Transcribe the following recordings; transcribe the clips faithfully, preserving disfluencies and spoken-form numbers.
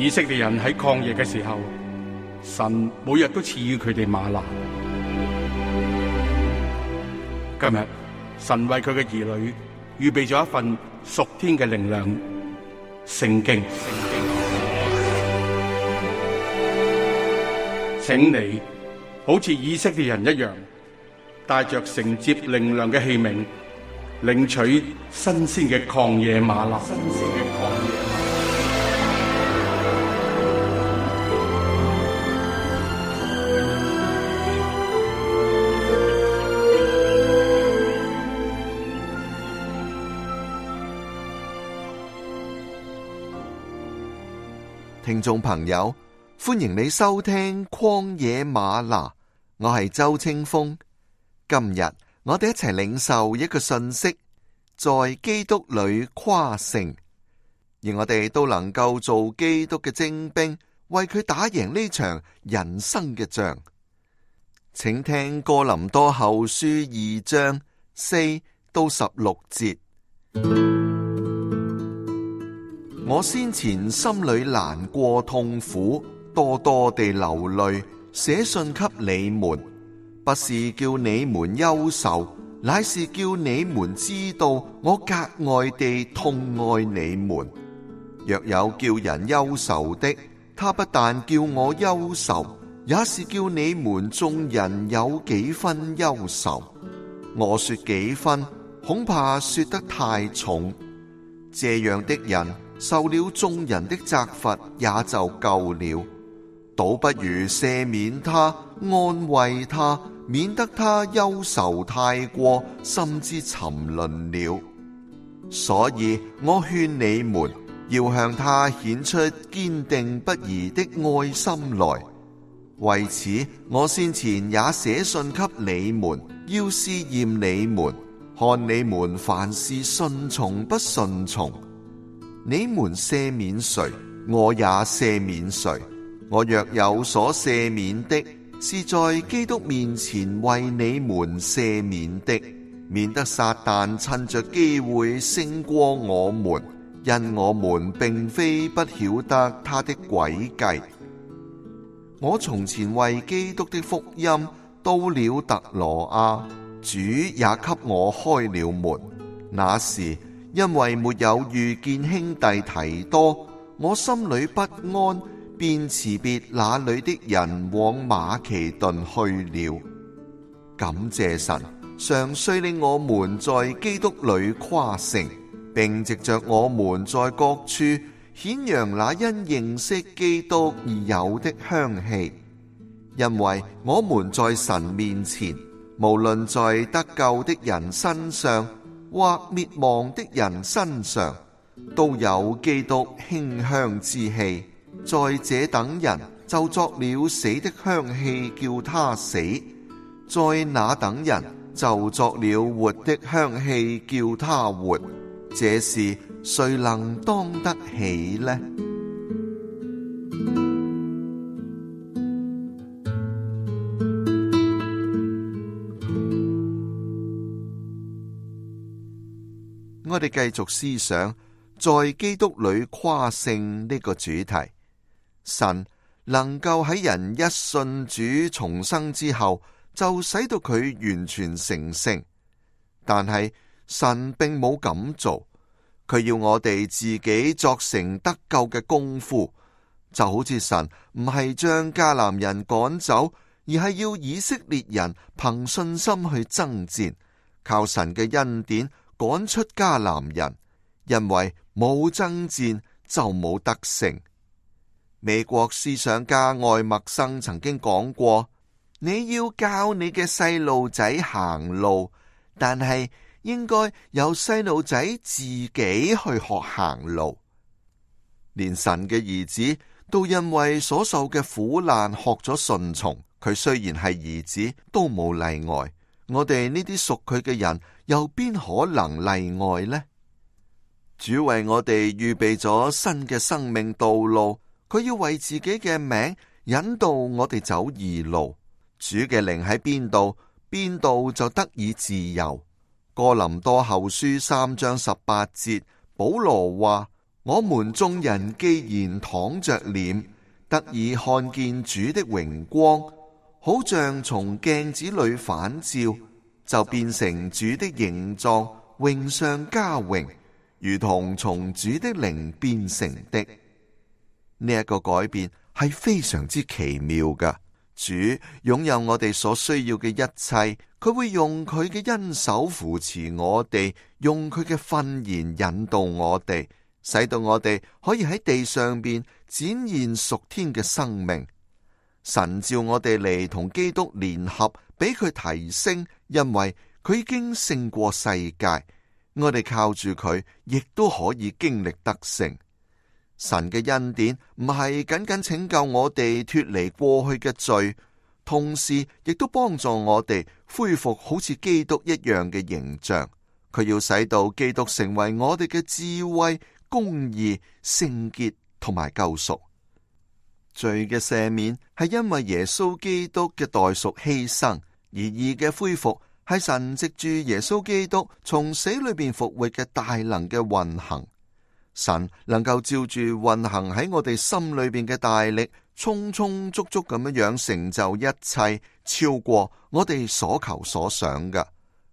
以色列人喺曠野嘅時候，神每日都賜予佢哋嗎哪。今日神為佢嘅兒女預備咗一份屬天嘅靈糧——聖經。請你好似以色列人一樣，帶着承接靈糧嘅器皿，領取新鮮嘅曠野嗎哪。新鮮嘅曠野嗎哪。聽眾朋友，歡迎你收聽曠野嗎哪，我係周清風。今日我哋一齊領受一個信息，在基督裏誇勝，而我哋都能夠做基督嘅精兵，為佢打贏呢場人生嘅仗。請聽哥林多後書二章四到十六節。我先前心裏難過痛苦，多多地流淚，寫信給你們，不是叫你們憂愁，乃是叫你們知道我格外地痛愛你們。若有叫人憂愁的，他不但叫我憂愁，也是叫你們眾人有幾分憂愁。我說幾分，恐怕說得太重。這樣的人受了眾人的責罰也就夠了，倒不如赦免他，安慰他，免得他憂愁太過，甚至沉淪了。所以我勸你們要向他顯出堅定不移的愛心來。為此我先前也寫信給你們，要試驗你們，看你們凡事順從不順從。你們赦免誰，我也赦免誰。我若有所赦免的，是在基督面前為你們赦免的，免得撒旦趁着機會勝過我們，因我們並非不曉得他的詭計。我從前為基督的福音到了特羅亞，主也給我開了門。那時因為沒有遇見兄弟提多，我心裏不安，便辭別那裏的人往馬其頓去了。感謝神，常遂令我們在基督裏誇勝，並藉着我們在各處顯揚那因認識基督而有的香氣。因為我們在神面前，無論在得救的人身上或滅亡的人身上，都有基督馨香之氣。在這等人就作了死的香氣，叫他死；在那等人就作了活的香氣，叫他活。這事誰能當得起呢？我哋繼續思想在基督裏誇勝呢個主題。神能夠喺人一信主重生之後，就使到佢完全成聖，但係神並冇咁做，佢要我哋自己作成得救嘅功夫，就好似神唔係將迦南人趕走，而係要以色列人憑信心去爭戰，靠神嘅恩典趕出迦南人，因為冇爭戰就冇得勝。美國思想家愛默生曾經講過，你要教你嘅細路仔行路，但係應該由細路仔自己去學行路。連神嘅兒子都因為所受嘅苦難學咗順從，佢雖然係兒子都冇例外。我哋呢啲屬佢嘅人又邊可能例外呢？主為我哋預備咗新嘅生命道路，佢要為自己嘅名引導我哋走義路。主嘅靈喺邊度，邊度就得以自由。哥林多後書三章十八節，保羅話：我們眾人既然躺着臉，得以看見主的榮光，好像從鏡子裏反照，就變成主的形狀，榮上加榮，如同從主的靈變成的。呢一個改變係非常之奇妙㗎。主擁有我哋所需要嘅一切，佢會用佢嘅恩手扶持我哋，用佢嘅訓言引導我哋，使到我哋可以喺地上邊展現屬天嘅生命。神召我哋嚟同基督聯合，俾佢提升，因為佢已經勝過世界。我哋靠住佢，亦都可以經歷得勝。神嘅恩典唔係僅僅拯救我哋脫離過去嘅罪，同時亦都幫助我哋恢復好似基督一樣嘅形象。佢要使到基督成為我哋嘅智慧、公義、聖潔同埋救贖。罪嘅赦免係因為耶穌基督嘅代贖犧牲，而義嘅恢復係神藉住耶穌基督從死裏邊復活嘅大能嘅運行。神能夠照住運行喺我哋心裏邊嘅大力，充充足足咁樣樣成就一切，超過我哋所求所想嘅。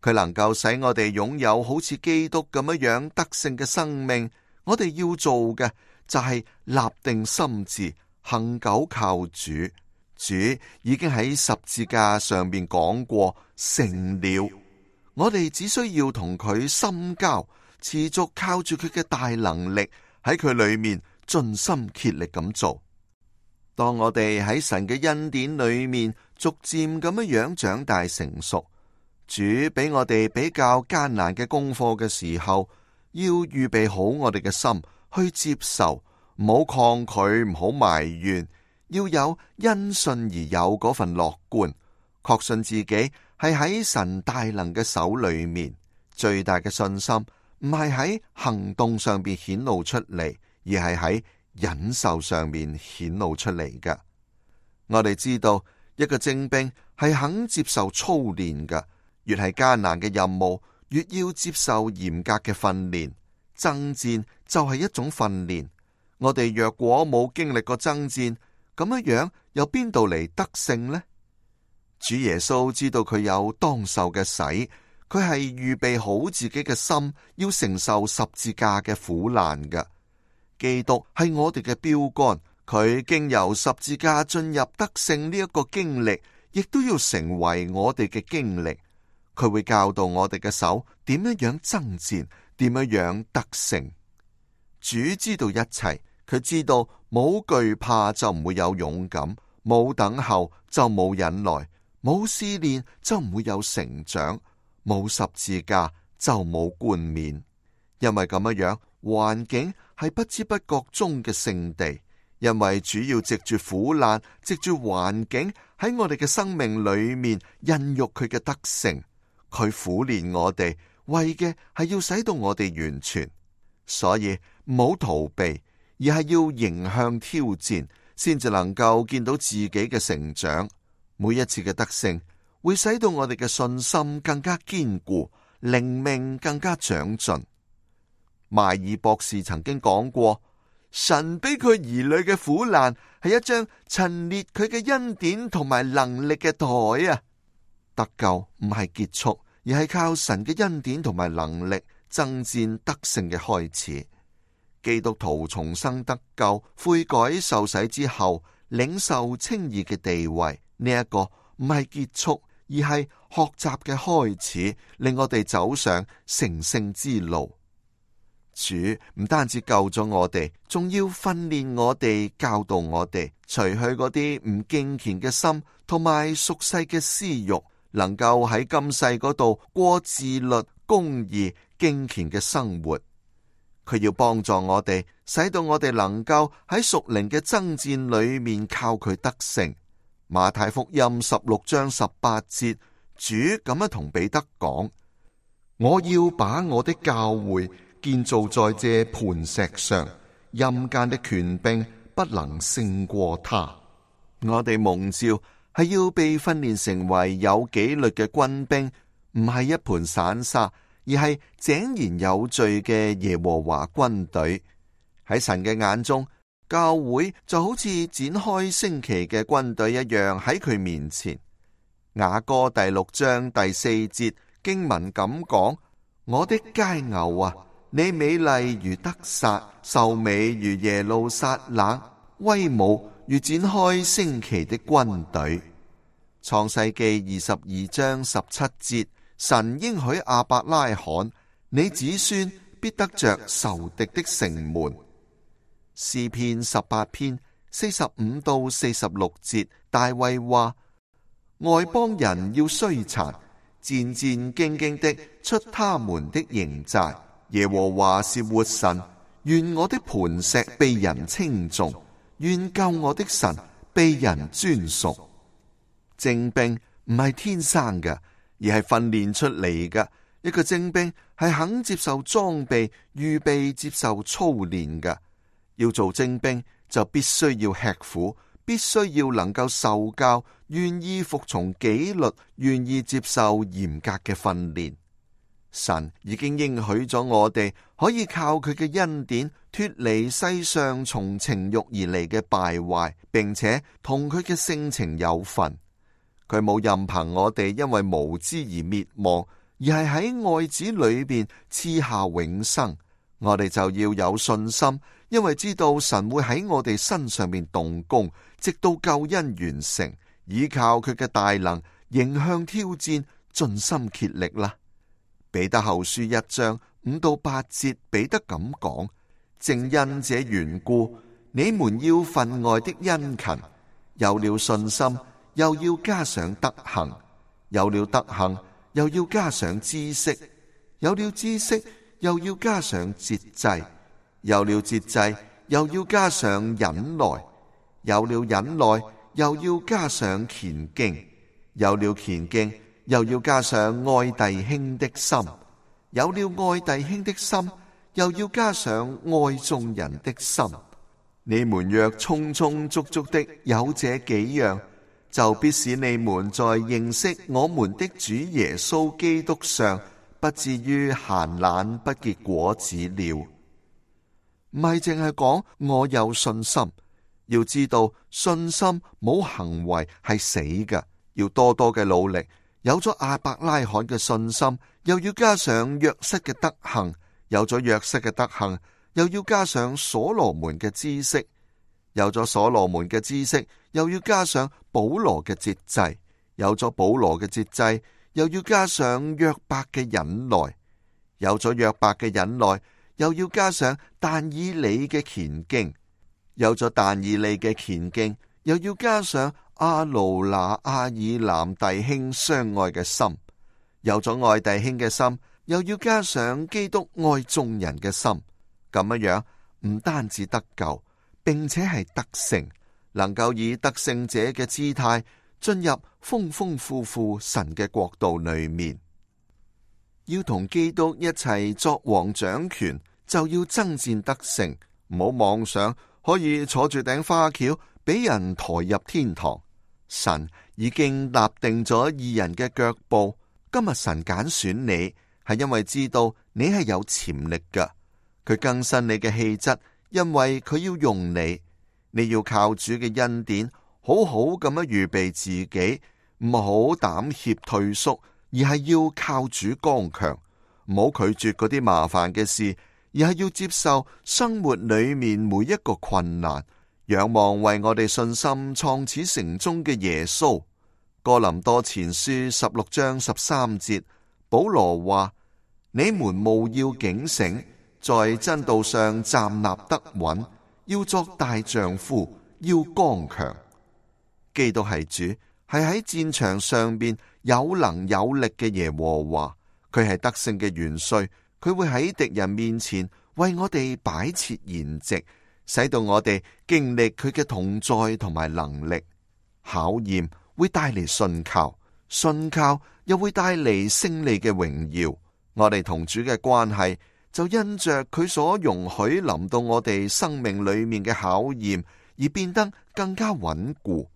佢能夠使我哋擁有好似基督咁樣樣得勝嘅生命。我哋要做嘅就係立定心志，恒久靠主。主已經喺十字架上邊講過成了，我哋只需要同佢深交，持續靠住佢嘅大能力，喺佢裏面盡心竭力咁做。當我哋喺神嘅恩典裏面逐漸咁樣樣長大成熟，主俾我哋比較艱難嘅功課嘅時候，要預備好我哋嘅心去接受，唔好抗拒，唔好埋怨，要有因信而有嗰份樂觀，確信自己係喺神大能嘅手裏面。最大嘅信心唔係喺行動上邊顯露出嚟，而係喺忍受上面顯露出嚟嘅。我哋知道一個精兵係肯接受操練嘅，越係艱難嘅任務，越要接受嚴格嘅訓練。爭戰就係一種訓練。我哋若果冇經歷過爭戰，咁樣樣由邊度嚟得勝呢？主耶穌知道佢有當受嘅洗，佢係預備好自己嘅心，要承受十字架嘅苦難嘅。基督係我哋嘅標杆，佢經由十字架進入得勝呢一個經歷，亦都要成為我哋嘅經歷。佢會教導我哋嘅手點樣樣爭戰，點樣樣得勝。主知道一切，佢知道冇懼怕就唔會有勇敢，冇等候就冇忍耐，冇試煉就唔會有成長，冇十字架就冇冠冕。因為咁樣樣，環境係不知不覺中嘅聖地。因為主要藉住苦難，藉住環境喺我哋嘅生命裏面孕育佢嘅得勝。佢苦練我哋，為嘅係要使到我哋完全。所以唔好逃避，而係要迎向挑戰，先至能夠見到自己嘅成長。每一次嘅得勝，會使到我哋嘅信心更加堅固，靈命更加長進。邁爾博士曾經講過，神俾佢兒女嘅苦難係一張陳列佢嘅恩典同埋能力嘅台啊！得救唔係結束，而係靠神嘅恩典同埋能力爭戰得勝嘅開始。基督徒重生得救、悔改受洗之後，領受稱義嘅地位，呢、這、一個唔係結束，而係學習嘅開始，令我哋走上成聖之路。主唔單止救咗我哋，仲要訓練我哋、教導我哋，除去嗰啲唔敬虔嘅心同埋俗世嘅私欲，能夠喺今世嗰度過自律、公義、敬虔嘅生活。佢要幫助我哋，使到我哋能夠喺屬靈嘅爭戰裏面靠佢得勝。馬太福音十六章十八節，主咁樣同彼得講：我要把我的教會建造在這磐石上，陰間的權柄不能勝過他。我哋蒙召係要被訓練成為有紀律嘅軍兵，唔係一盤散沙，而係井然有序嘅耶和華軍隊。喺神嘅眼中，教會就好似展開升旗嘅軍隊一樣喺佢面前。雅歌第六章第四節經文咁講：我的佳偶啊，你美麗如得撒，秀美如耶路撒冷，威武如展開升旗的軍隊。創世記二十二章十七節，神應許亞伯拉罕：你子孫必得着仇敵的城門。詩篇十八篇四十五到四十六節，大衛話：外邦人要衰殘，戰戰兢兢的出他們的營寨。耶和華是活神，願我的磐石被人稱頌，願救我的神被人尊崇。精兵唔係天生嘅，而係訓練出嚟嘅。一個精兵係肯接受裝備，預備接受操練嘅。要做精兵，就必須要吃苦，必須要能夠受教，願意服從紀律，願意接受嚴格嘅訓練。神已經應許咗我哋可以靠佢嘅恩典脫離世上從情欲而嚟嘅敗壞，並且同佢嘅性情有份。佢冇任憑我哋因為無知而滅亡，而係喺愛子裏邊賜下永生。我哋就要有信心，因為知道神會喺我哋身上面動工，直到救恩完成。依靠佢嘅大能，迎向挑戰，盡心竭力啦。彼得後書一章五到八節，彼得咁講：正因這緣故，你們要分外的殷勤，有了信心，又要加上德行；有了德行，又要加上知識；有了知識，又要加上節制；有了節制，又要加上忍耐；有了忍耐，又要加上虔敬；有了虔敬，又要加上愛弟兄的心；有了愛弟兄的心，又要加上愛眾人的心。你們若充充足足的有這幾樣，就必使你們在認識我們的主耶穌基督上，不至於閒懶不結果子了。唔係淨係講我有信心，要知道信心冇行為係死嘅，要多多嘅努力。有咗亞伯拉罕嘅信心，又要加上約瑟嘅德行；有咗約瑟嘅德行，又要加上所羅門嘅知識；有咗所羅門嘅知識，又要加上保羅嘅節制；有咗保羅嘅節制，又要加上約伯嘅忍耐；有咗約伯嘅忍耐，又要加上但以理嘅虔敬；有咗但以理嘅虔敬，又要加上阿路那、阿爾南弟兄相愛嘅心；有咗愛弟兄嘅心，又要加上基督愛眾人嘅心。咁樣樣唔單止得救，並且係得勝，能夠以得勝者嘅姿態進入豐豐富富神嘅國度裏面。要同基督一齊作王掌權，就要爭戰得勝，唔好妄想可以坐住頂花轎俾人抬入天堂。神已經立定咗義人嘅腳步。今日神揀選你，係因為知道你係有潛力㗎。佢更新你嘅氣質，因為佢要用你。你要靠主嘅恩典，好好咁樣預備自己，唔好膽怯退縮，而係要靠主剛強。唔好拒絕嗰啲麻煩嘅事，而係要接受生活裏面每一個困難。仰望為我哋信心創始成終嘅耶穌。哥林多前書十六章十三節，保羅話：你們務要警醒，在真道上站立得穩，要作大丈夫，要剛強。基督係主，係喺戰場上邊有能有力嘅耶和華，佢係得勝嘅元帥，佢會喺敵人面前為我哋擺設筵席，使到我哋經歷佢嘅同在同埋能力。考驗會帶嚟信靠，信靠又會帶嚟勝利嘅榮耀。我哋同主嘅關係就因着佢所容許臨到我哋生命裏面嘅考驗而變得更加穩固。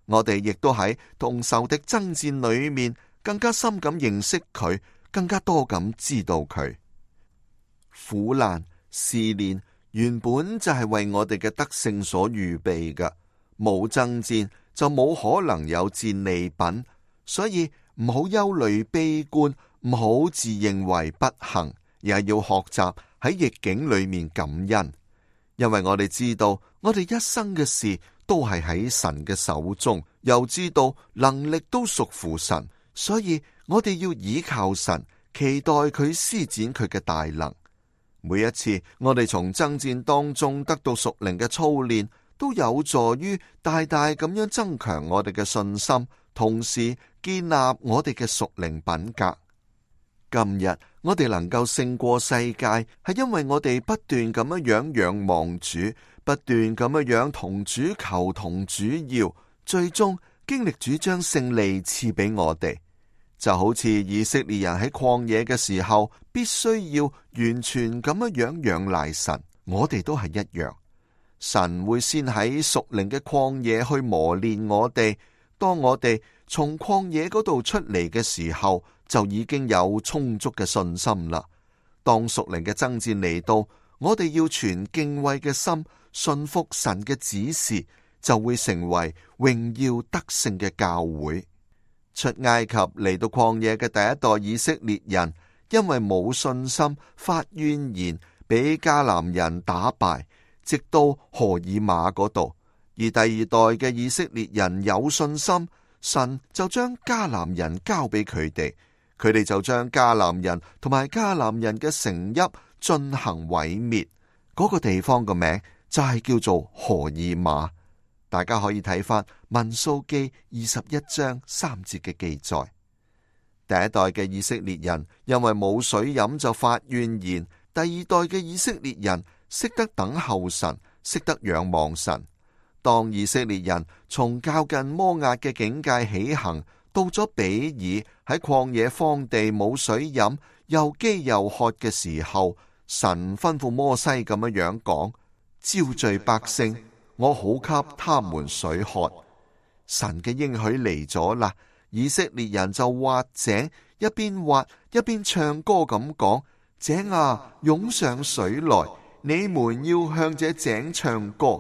我哋亦都喺同仇敵爭戰裏面更加深咁認識佢，更加多咁知道佢。苦難試煉原本就係為我哋嘅得勝所預備嘅。冇爭戰就冇可能有戰利品，所以唔好憂慮悲觀，唔好自認為不幸，而係要學習喺逆境裏面感恩，因為我哋知道我哋一生嘅事都係喺神嘅手中，又知道能力都屬乎神，所以我哋要倚靠神，期待佢施展佢嘅大能。每一次我哋從爭戰當中得到屬靈嘅操練，都有助於大大咁樣增強我哋嘅信心，同時建立我哋嘅屬靈品格。今日我哋能夠勝過世界，係因為我哋不斷咁樣樣仰望主，不斷咁樣樣同主求同主要，最終經歷主將勝利賜俾我哋。就好似以色列人喺曠野嘅時候，必須要完全咁樣樣仰賴神，我哋都係一樣。神會先喺屬靈嘅曠野去磨練我哋，當我哋從曠野嗰度出嚟嘅時候，就已經有充足嘅信心啦。當屬靈嘅爭戰嚟到，我哋要存敬畏嘅心，信服神嘅指示，就會成為榮耀得勝嘅教會。出埃及嚟到曠野嘅第一代以色列人，因為冇信心，發怨言，俾迦南人打敗，直到何爾瑪嗰度。而第二代嘅以色列人有信心，神就將迦南人交俾佢哋，佢哋就將迦南人同埋迦南人嘅城邑進行毀滅。嗰個地方嘅名就係叫做何爾瑪。大家可以睇翻民數記二十一章三節嘅記載。第一代嘅以色列人因為冇水飲就發怨言，第二代嘅以色列人識得等候神，識得仰望神。當以色列人從靠近摩押嘅境界起行，到咗比爾喺曠野荒地冇水飲，又飢又渴嘅時候，神吩咐摩西咁樣樣講：招聚百姓，我好給他們水喝。神嘅應許嚟咗啦，以色列人就挖井，一邊挖一邊唱歌咁講：井啊，湧上水來，你們要向這井唱歌。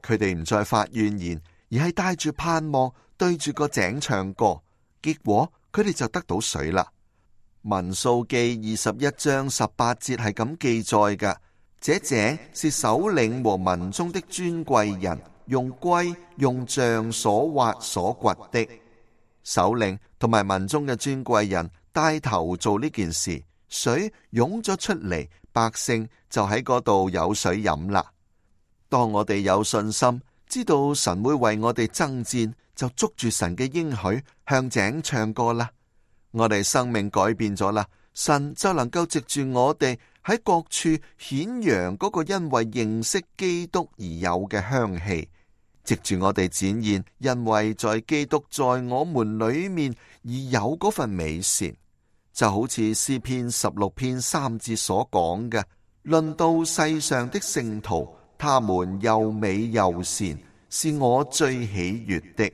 佢哋唔再發怨言，而係帶住盼望對住個井唱歌，結果佢哋就得到水啦。民數記二十一章十八節係咁記載嘅：這井是首領和民中的尊貴人用龜用杖所挖所掘的。首領同埋民中嘅尊貴人帶頭做呢件事，水湧咗出嚟，百姓就喺嗰度有水飲啦。當我哋有信心，知道神會為我哋爭戰，就捉住神嘅應許，向井唱歌啦。我哋生命改變咗啦，神就能夠藉住我哋喺各處顯揚嗰個因為認識基督而有嘅香氣，藉住我哋展現因為在基督在我們裏面而有嗰份美善。就好似詩篇十六篇三節所講嘅：論到世上的聖徒，他們又美又善，是我最喜悅的。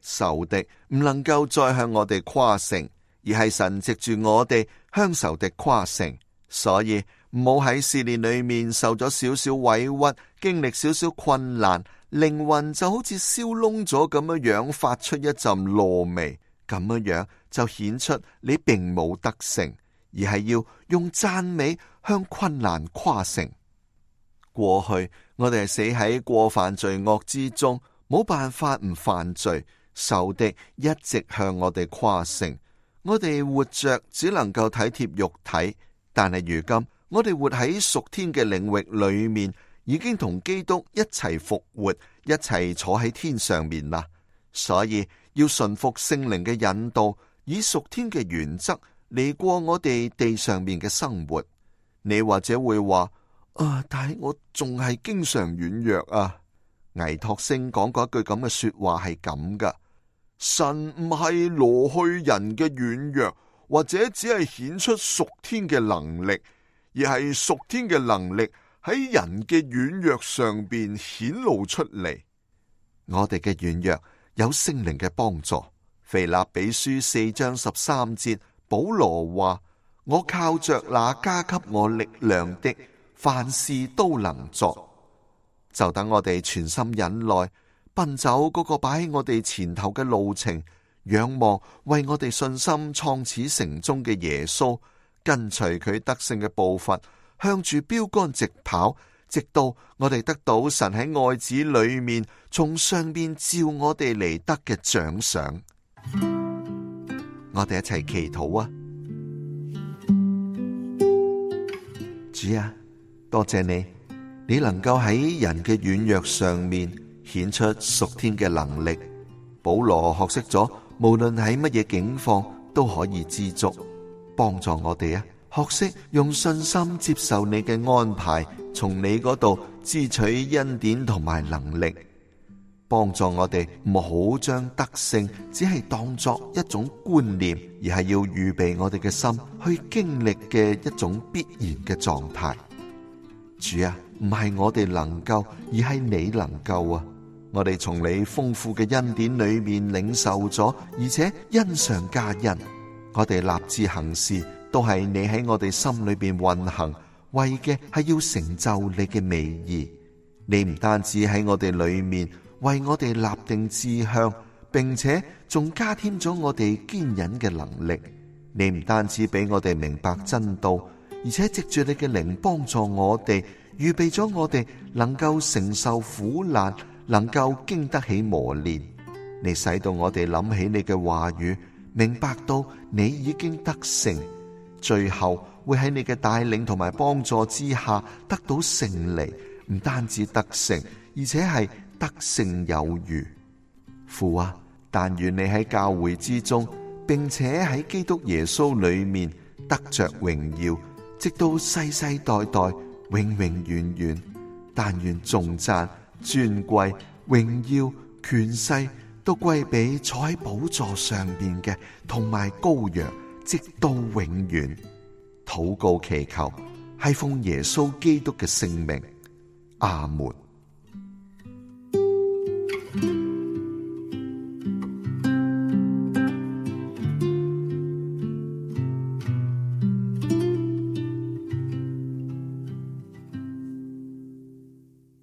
仇敵唔能夠再向我哋誇勝，而係神藉住我哋向仇敵誇勝。所以唔好喺試煉裏面受咗少少委屈，經歷少少困難，靈魂就好似燒燶咗咁樣樣，發出一陣燶味，咁樣樣就顯出你並冇得勝，而係要用讚美向困難誇勝。過去我哋係死喺過犯罪惡之中，冇辦法唔犯罪，仇敵一直向我哋誇勝。我哋活着只能夠體貼肉體，但係如今我哋活喺屬天嘅領域裏面，已經同基督一齊復活，一齊坐喺天上面啦。所以要順服聖靈嘅引導，以屬天嘅原則嚟過我哋地上面嘅生活。你或者會話：啊！但係我仲係經常軟弱啊。倪柝聲講過一句咁嘅說話係咁噶：神唔係挪去人嘅軟弱，或者只係顯出屬天嘅能力，而係屬天嘅能力喺人嘅軟弱上邊顯露出嚟。我哋嘅軟弱有聖靈嘅幫助。腓立比書四章十三節，保羅話：我靠着那加給我力量的，凡事都能作。就等我哋全心忍耐，奔走嗰個擺喺我哋前頭嘅路程，仰望為我哋信心創始成終嘅耶穌，跟隨佢得勝嘅步伐，向住標杆直跑，直到我哋得到神喺愛子裏面從上邊召我哋嚟得嘅獎賞。我哋一齊祈禱啊！主啊，多謝你，你能夠喺人嘅軟弱上面顯出屬天嘅能力。保羅學識咗，無論喺乜嘢境況都可以知足，幫助我哋啊！學識用信心接受你嘅安排，從你嗰度支取恩典同埋能力，幫助我哋唔好將得勝只係當作一種觀念，而係要預備我哋嘅心去經歷嘅一種必然嘅狀態。主啊，唔係我哋能夠，而係你能夠啊！我哋從你豐富嘅恩典裏面領受咗，而且恩上加恩。我哋立志行事，都係你喺我哋心裏邊運行，為嘅係要成就你嘅美意。你唔單止喺我哋裏面為我哋立定志向，並且仲加添咗我哋堅忍嘅能力。你唔單止俾我哋明白真道，而且藉住你嘅靈幫助我哋，預備咗我哋能夠承受苦難，能夠經得起磨練。你使到我哋諗起你嘅話語，明白到你已經得勝，最後會喺你嘅帶領同埋幫助之下得到勝利。唔單止得勝，而且係得勝有餘。父啊，但願你喺教會之中，並且喺基督耶穌裏面得着榮耀，直到世世代代永永遠遠。但願頌讚、尊貴、榮耀、權勢都歸俾坐喺寶座上邊嘅同埋羔羊，直到永遠。禱告祈求係奉耶穌基督嘅聖名，阿門。